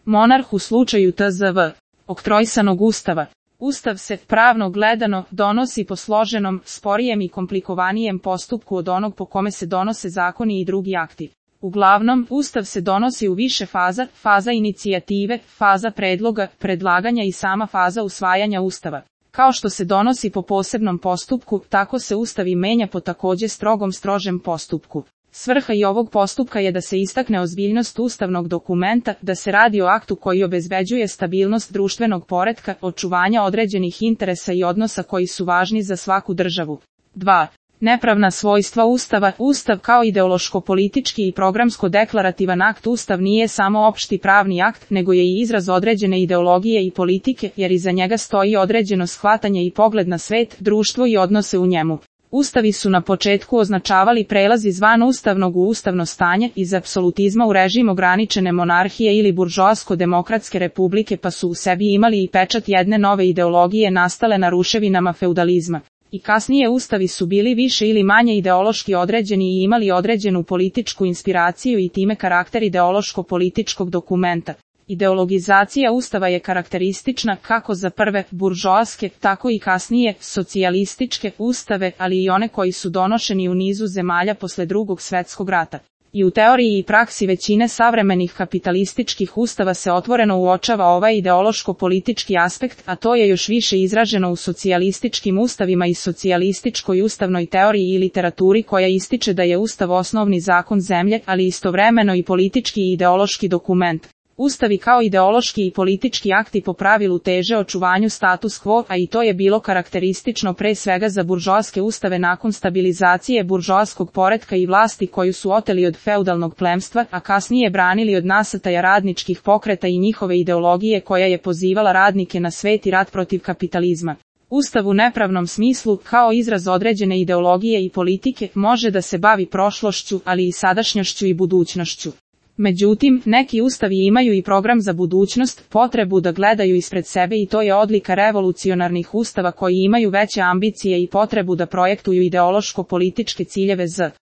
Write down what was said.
Monarh u slučaju tzv. oktrojsanog ustava. Ustav se, pravno gledano, donosi po složenom, sporijem i komplikovanije postupku od onog po kome se donose zakoni i drugi akti. Uglavnom, Ustav se donosi u više faza, faza inicijative, faza predloga, predlaganja i sama faza usvajanja Ustava. Kao što se donosi po posebnom postupku, tako se Ustav i menja po takođe strožem postupku. Svrha i ovog postupka je da se istakne ozbiljnost ustavnog dokumenta, da se radi o aktu koji obezbeđuje stabilnost društvenog poretka, očuvanja određenih interesa i odnosa koji su važni za svaku državu. 2. Nepravna svojstva Ustava. Ustav kao ideološko-politički i programsko-deklarativan akt. Ustav nije samo opšti pravni akt, nego je i izraz određene ideologije i politike, jer iza njega stoji određeno shvatanje i pogled na svet, društvo i odnose u njemu. Ustavi su na početku označavali prelaz iz vanustavnog u ustavno stanje, iz apsolutizma u režim ograničene monarhije ili buržoasko-demokratske republike, pa su u sebi imali i pečat jedne nove ideologije nastale na ruševinama feudalizma. I kasnije ustavi su bili više ili manje ideološki određeni i imali određenu političku inspiraciju i time karakter ideološko-političkog dokumenta. Ideologizacija Ustava je karakteristična kako za prve, buržoaske, tako i kasnije, socijalističke ustave, ali i one koji su donošeni u nizu zemalja posle Drugog svetskog rata. I u teoriji i praksi većine savremenih kapitalističkih ustava se otvoreno uočava ovaj ideološko-politički aspekt, a to je još više izraženo u socijalističkim ustavima i socijalističkoj ustavnoj teoriji i literaturi koja ističe da je Ustav osnovni zakon zemlje, ali istovremeno i politički i ideološki dokument. Ustavi kao ideološki i politički akti po pravilu teže očuvanju status quo, a i to je bilo karakteristično pre svega za buržoaske ustave nakon stabilizacije buržoaskog poretka i vlasti koju su oteli od feudalnog plemstva, a kasnije branili od nasrtaja radničkih pokreta i njihove ideologije koja je pozivala radnike na svet i rat protiv kapitalizma. Ustav u nepravnom smislu, kao izraz određene ideologije i politike, može da se bavi prošlošću, ali i sadašnjošću i budućnošću. Međutim, neki ustavi imaju i program za budućnost, potrebu da gledaju ispred sebe i to je odlika revolucionarnih ustava koji imaju veće ambicije i potrebu da projektuju ideološko-političke ciljeve z.